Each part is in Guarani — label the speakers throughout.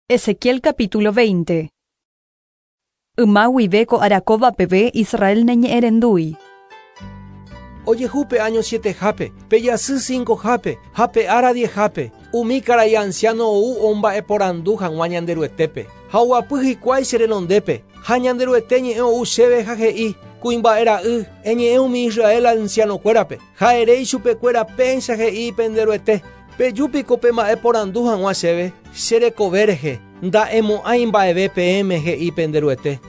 Speaker 1: Ezequiel capítulo 20. Yma guive ko ára kóva peve Israel naiñe'ẽrendúi.
Speaker 2: Ojehu pe áño sietehápe, pe jasy cincohápe ha pe ára diezhápe, umi karai ansiáno ou omba'eporandu hag̃ua Ñanderuetépe, ha oguapy hikuái che renondépe. Ha Ñanderuete ñe'ẽ ou chéve ha he'i, Kuimba'e ra'y, eñe'ẽ umi Israel ansianokuérape, ha ere ichupekuéra péicha he'i pende Ruete, Peju piko pemba'eporandu hag̃ua chéve, che rekove rehe, nda'emo'ãi mba'eve peẽme he'i pende Ruete.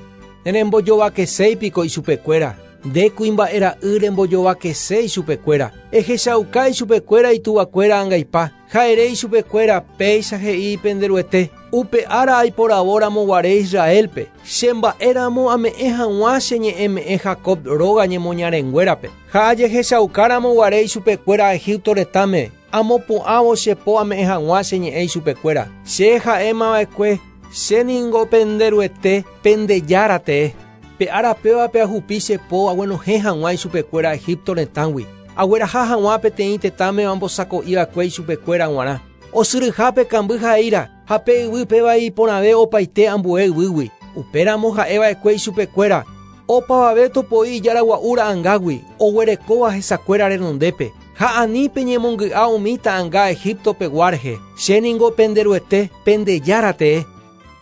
Speaker 2: Nerembojovakeséi piko ichupekuéra, nde kuimba'e ra'y rembojovakese ichupekuéra, ehechauka ichupekuéra ituvakuéra angaipa, Ha ere ichupekuéra, Péicha he'i pende Ruete, Upe ára aiporavo ramoguare Israélpe, che mba'e ramo ame'ẽ hag̃ua che ñe'ẽme'ẽ Jacob róga ñemoñarenguérape. Ha ajehechauka ramoguare ichupekuéra Egipto retãme, amopu'ãvo che po ame'ẽ hag̃ua che ñe'ẽ ichupekuéra. Che ha'emava'ekue, Che ningo pende Ruete, pende Jára tee. Pe ára pévape ahupi che po aguenohẽ hag̃ua ichupekuéra Egipto retãgui, agueraha hag̃ua peteĩ tetãme ambosako'i va'ekue ichupekuéra g̃uarã, osyryhápe kamby ha eíra, ha pe yvy péva iporãve opaite ambue yvýgui. Upéramo ha'e va'ekue ichupekuéra, Opavave topoi ijára gua'u ra'ãngágui, oguerekóva hesakuéra renondépe, ha ani peñemongy'a umi ta'ãnga Egipto pegua rehe, che ningo pende Ruete, pende Jára tee.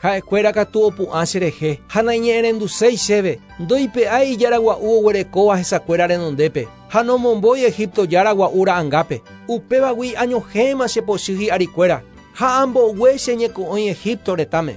Speaker 2: Ha'ekuéra katu opu'ã cherehe ha naiñe'ẽrenduséi chéve, ndoipe'ái ijára gua'u oguerekóva hesakuéra renondépe, ha nomombói Egipto jára gua'u ra'angápe. Upévagui añohẽma che pochy hi'arikuéra, ha ambogue che ñeko'õi Egipto retãme.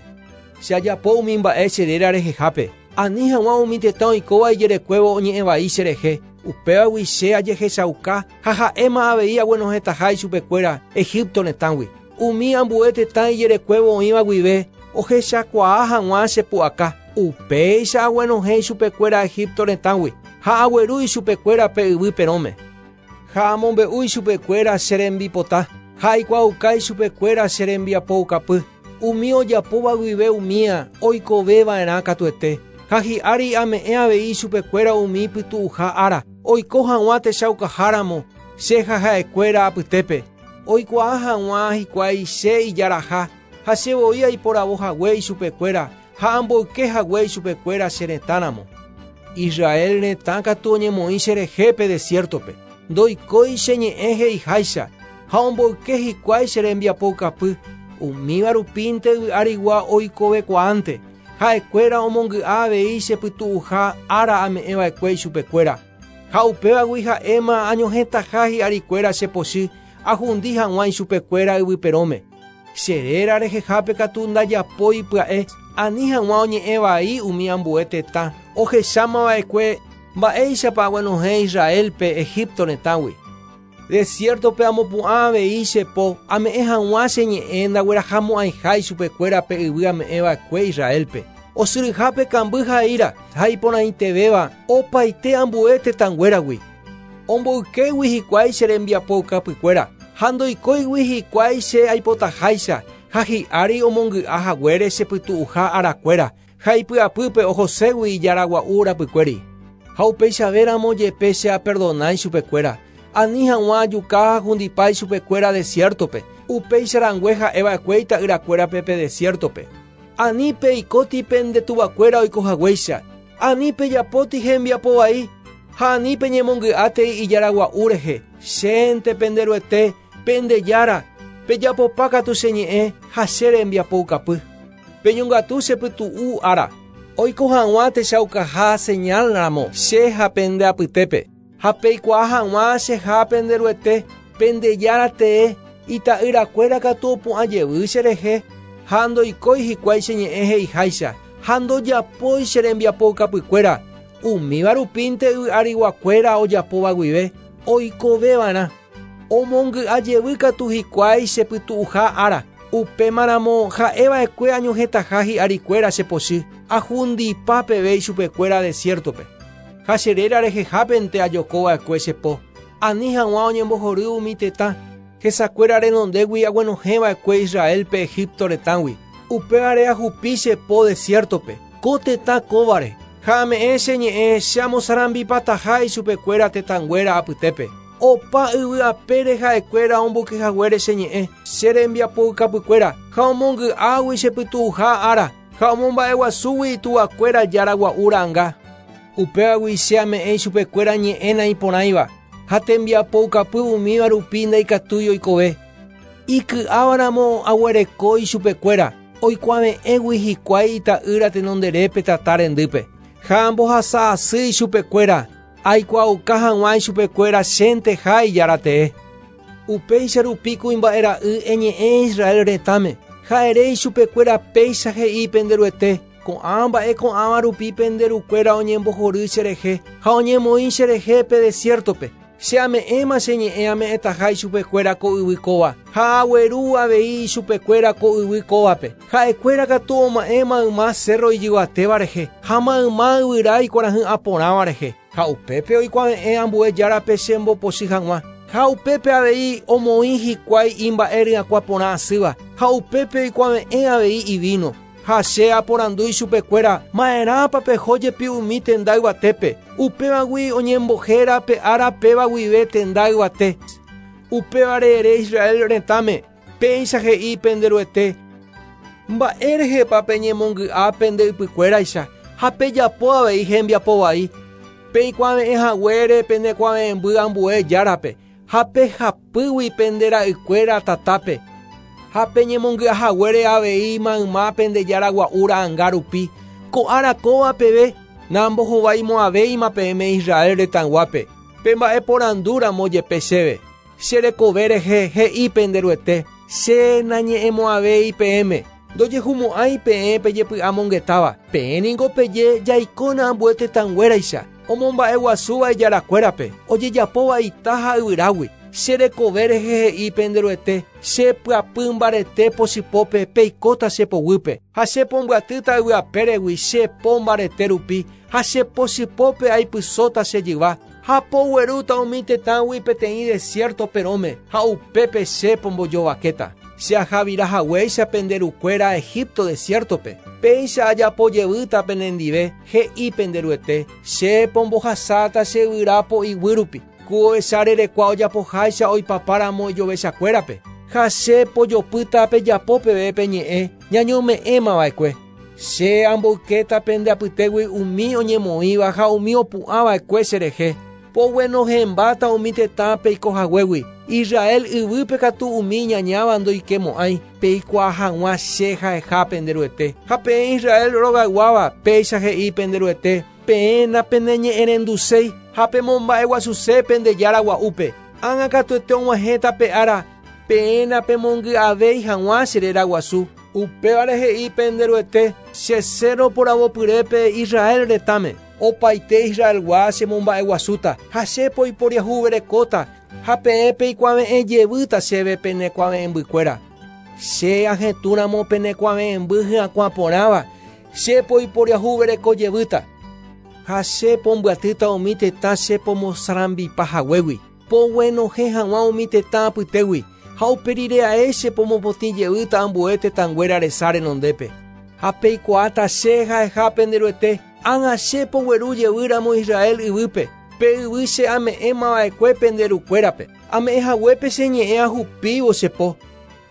Speaker 2: Che ajapo umi mba'e che réra rehehápe, ani hag̃ua umi tetã oikóva ijerekuévo oñe'ẽ vai cherehe, upévagui che ajehechauka ha ha'éma avei aguenohẽtaha ichupekuéra Egipto retãgui. Umi ambue tetã ijerekuévo oĩva guive ohechakuaa hag̃ua che pu'aka, upéicha aguenohẽ ichupekuéra Egipto retãgui, ha agueru ichupekuéra pe yvy perõme. Ha amombe'u ichupekuéra che rembipota, ha aikuaauka ichupekuéra che rembiapoukapy, umi ojapóva guive umía oikove va'erã katuete, ha hi'ári ame'ẽ avei ichupekuéra umi pytu'uha ára, oiko hag̃ua techaukaháramo che ha ha'ekuéra apytépe. Oikuaa hag̃ua hikuái che ijaraha ha che voi aiporavo hague ichupekuéra ha amboyke hague ichupekuéra che retã ramo. Israel retã katu oñemoĩ cherehe pe desiértope, ndoikói che ñe'ẽ he'iháicha ha omboyke hikuái che rembiapoukapy, umíva rupínte yvy arigua oikovekuaánte, ha'ekuéra omongy'a avei che pytu'uha ára ame'ẽva'ekue ichupekuéra. Ha upévagui ha'éma añohẽtaha hi'arikuéra che pochy ahundi hag̃ua ichupekuéra yvy perõme. Che réra rehehápe katu ndajapói pya'e ani hag̃ua oñe'ẽ vai umi ambue tetã ohecháma va'ekue mba'éichapa aguenohẽ Israélpe Egipto retãgui. Desiértope amopu'ã avei che po ame'ẽ hag̃ua che ñe'ẽ ndaguerahamo'ãiha ichupekuéra pe yvy ame'ẽ va'ekue Israélpe. Osyryhápe kamby ha eíra ha iporãitevéva opaite ambue tetãnguéragui. Omboykégui hikuái che rembiapoukapykuéra ha ndoikóigui hikuái che aipotaháicha ha hi'ári omongy'a haguére che pytu'uha arakuéra ha ipy'apýpe ohoségui ijaragua'u rapykuéri. Ha upeichavéramo jepe che aperdona ichupekuéra, ani hag̃ua ajuka ha ahundipa ichupekuéra desiértope, upéicha rangue ha'e va'ekue ita'yrakuérape pe desiértope. Ani peikóti pende tuvakuéra oiko haguéicha, ani pejapóti hembiapo vai, ha ani peñemongy'átei ijaragua'u rehe, chénte pende Ruete, pende Jára, pejapopa katu che ñe'ẽ ha che rembiapoukapy. Peñongatu che pytu'u ára, oiko hag̃ua techaukaha señal ramo che ha pende apytépe, ha peikuaa hag̃ua cheha pende Ruete, pende Jára tee, ita'yrakuéra katu opu'ã jevy cherehe, ha ndoikói hikuái che ñe'ẽ he'iháicha, ha ndojapói che rembiapoukapykuéra, umíva rupínte yvy ariguakuéra ojapóva guive, oikoveva'erã. Omongy'a jevy katu hikuái che pytu'uha ára, upémaramo ha'e va'ekue añohẽtaha hi'arikuéra che pochy, ahundipa peve ichupekuéra desiértope. Ha che réra rehehápente ajoko va'ekue che po, ani hag̃ua oñembohory umi tetã, hesakuéra renondégui aguenohẽ va'ekue Israélpe Egipto retãgui. Upévare ahupi che po desiértope, ko tetã kóvare, ha ame'ẽ che ñe'ẽ che amosarambipataha ichupekuéra tetãnguéra apytépe. Opa yvy apére ha'ekuéra omboyke haguére che ñe'ẽ, che rembiapoukapykuéra, Ha omongy'águi che pytu'uha ára, ha omomba'eguasúgui ituvakuéra jára gua'u ra'anga. Upévagui che ame'ẽ ichupekuéra ñe'ẽ naiporãiva, ha tembiapoukapy umíva rupi ndaikatúi oikove. Iky'ávaramo aguereko ichupekuéra, oikuave'ẽgui hikuái ita'ýra tenonderépe tata rendýpe. Ha ambohasa asy ichupekuéra, aikuaauka hag̃ua ichupekuéra chénteha ijára tee. Upéicha rupi kuimba'e ra'y eñe'ẽ Israel retãme, ha ere ichupekuéra péicha he'i pende Ruete, Ko'ã mba'e ko'ãva rupi pende rukuéra oñembohory cherehe ha oñemoĩ cherehe pe desiértope. Che ame'ẽma che ñe'ẽ ame'ẽtaha ichupekuéra ko yvy kóva, ha agueru avei ichupekuéra ko yvy kóvape. Ha'ekuéra katu oma'ẽ mayma cérro ijyvatéva rehe, ha mayma yvyra ikuarahy'ã porãva rehe, ha upépe oikuave'ẽ ambue járape che mbopochy hag̃ua. Ha upépe avei omoĩ hikuái imba'e ryakuã porã asýva, ha upépe oikuave'ẽ avei ivíno. Ha che aporandu ichupekuéra, Ma'erãpa peho jepi umi tenda yvatépe? Upévagui oñembohéra pe ára péva guive tenda yvate. Upévare ere Israel retãme, Péicha he'i pende Ruete, Mba'e rehepa peñemongy'a pende ypykuéraicha ha pejapo avei hembiapo vai, peikuave'ẽ haguére pene kuave'ẽmby ambue járape, ha pehapýgui pende ra'ykuéra tatápe, ha peñemongy'a haguére avei mayma pende jára gua'u ra'anga rupi, ko ára kóva peve nambohovaimo'ãvéima peẽme Israel retãyguápe, pemba'eporandu ramo jepe chéve. Che rekove rehe he'i pende Ruete, Che nañe'ẽmo'ãvéi peẽme, ndojehumo'ãi peẽ pejepy'amongetáva, peẽ ningo peje jaikóna ambue tetãnguéraicha, omomba'eguasúva ijarakuérape, ojejapóva ita ha yvyrágui. Che rekove rehe he'i pende Ruete, Che pyapy mbarete pochypópe peikóta che poguýpe, ha che pombyatýta yvy apéregui che po mbarete rupi, ha che pochypópe aipysóta che jyva, ha poguerúta umi tetãgui peteĩ desiérto perõme, ha upépe che pombojovakéta. Che ahavira haguéicha pende rukuéra Egipto desiértope, péicha ajapo jevýta penendive, he'i pende Ruete, che pombohasáta che yvyra po'iguy rupi, ku ovecha rerekua ojapoháicha oipapa ramo ijovechakuérape, ha che pojopýta pejapo peve pe ñe'ẽ ñañome'ẽma va'ekue. Che amboykéta pende apytégui umi oñemoĩva ha umi opu'ã va'ekue cherehe, poguenohẽmbáta umi tetã peiko haguégui, Israel yvýpe katu umi iñañáva ndoikemo'ãi, peikuaa hag̃ua che ha'eha pende Ruete. Ha peẽ Israel rogayguáva, péicha he'i pende Ruete, Peẽ napeneñe'ẽrenduséi ha pemomba'eguasuse pende Jára gua'úpe. Ág̃a katuete og̃uahẽta pe ára peẽ napemongy'avéi hag̃ua che réra guasu. Upévare he'i pende Ruete, Che cérro poravopyrépe Israel retãme, opaite Israelgua chemomba'eguasúta, ha che poiporiahuverekóta, ha peẽ peikuave'ẽ jevýta chéve pene kuave'ẽmbykuéra. Che ahetũramo pene kuave'ẽmby hyakuã porãva, che poiporiahuvereko jevýta, ha che pombyatýta umi tetã che pomosarambipa haguégui. Poguenohẽ hag̃ua umi tetã apytégui, ha upe rire ae che pomopotĩ jevýta ambue tetãnguéra resa renondépe. Ha peikuaáta che ha'eha pende Ruete, ág̃a che pogueru jevy ramo Israel yvýpe, pe yvy che ame'ẽma va'ekue pende rukuérape, ame'ẽ haguépe che ñe'ẽ ahupívo che po.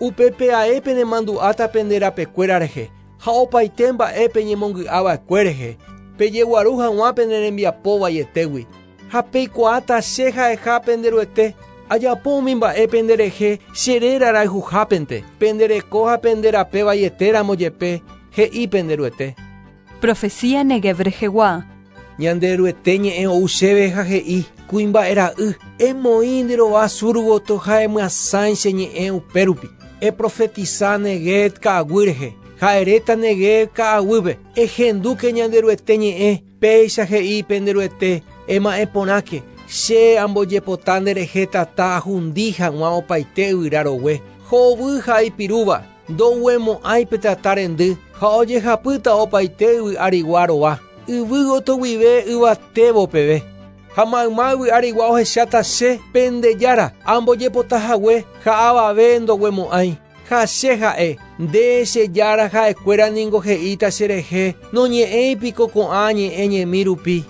Speaker 2: Upépe ae penemandu'áta pende rapekuéra rehe, ha opaite mba'e peñemongy'a va'ekue rehe, pejeguaru hag̃ua pene rembiapo vaietégui. Ha peikuaáta che ha'eha pende Ruete, ajapo umi mba'e pende rehe che réra rayhuhápente, pende reko ha pende rape vaiete ramo jepe, he'i pende Ruete.
Speaker 1: Profecía Neguev rehegua.
Speaker 2: Ñanderuete ñe'ẽ ou chéve ha he'i, Kuimba'e ra'y, emoĩ nde rova sur gotyo ha emyasãi che ñe'ẽ upérupi. Eprofetisa Neguev ka'aguy rehe, ha eréta Neguev ka'aguýpe, Ehendúke Ñanderuete ñe'ẽ, Péicha he'i pende Ruete, Ema'ẽ porãke, che ambojepota nderehe tata ahundi hag̃ua opaite yvyra rogue, hovy ha ipirúva, ndoguemo'ãi pe tata rendy ha ojehapýta opaite yvy arigua rova, yvy gotyo guive yvatévo peve. Ha mayma yvy arigua ohecháta che, pende Jára, ambojepota hague ha avave ndoguemo'ãi. Ha che ha'e, Nde, che Jára, ha'ekuéra ningo he'íta cherehe, Noñe'ẽi piko ko'ã ñe'ẽ ñemi rupi.